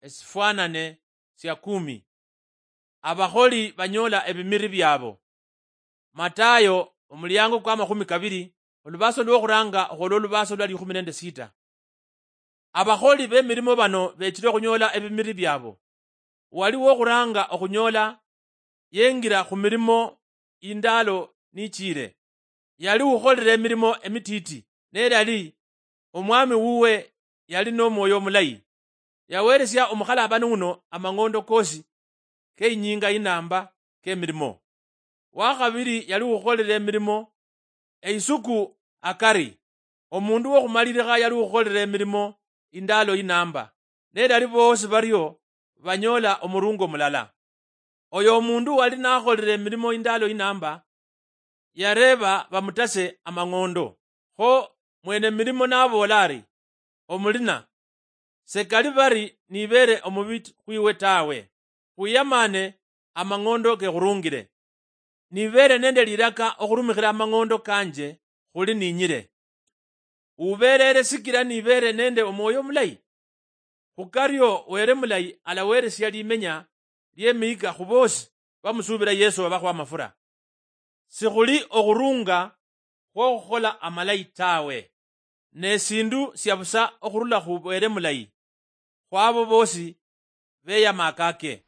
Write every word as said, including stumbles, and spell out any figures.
esifwanane sia kumi. Abakholi banyoola ebimiri byaabo. Matayo, omuliango kwa makhumi kabiri, olubaso lwokhuranga okhwola olubaso lwa likhumi nende sita. Abakholi b'emirimo bano beechile okhunyoola ebimiri byaabo. Wali wokhuranga okhunyoola yengira khu mirimo indaalo nichiire. Yali ukholere emirimo emitiiti, ne yali omwami wuwe yali n'omwoyo omulayi. Yaweeresia omukhalabani wuno amang'ondo koosi ke inyinga inamba k'emirimo. Wakhabili yali ukholere emirimo eisuku akari. Omundu wokhumalilikha yali ukholere emirimo indaalo inamba, ne yali boosi bario banyoola omurungo mulala. Oyo omundu wali nakholere emirimo indaalo inamba, yareeba bamutase amang'ondo. Kho mwene mirimo naboola ari, "Omulina, sekali bari nibeere omubi khwiwe tawe. Khwiyamane amang'ondo kekhurungire. Nibeere nende liraka okhurumikhira amang'ondo kanje khuli ninyire. Ubeerere sikira nibeere nende omwoyo omulayi." Khukario Were mulayi alaweresia limenya liemihika khu bosi bamusuubira Yesu babakho amafura. Sikhuli okhurunga khwokhukhola amalayi tawe, ne sindu sia busa okhurula khu Were mulayi khwabo bosi beyama akake.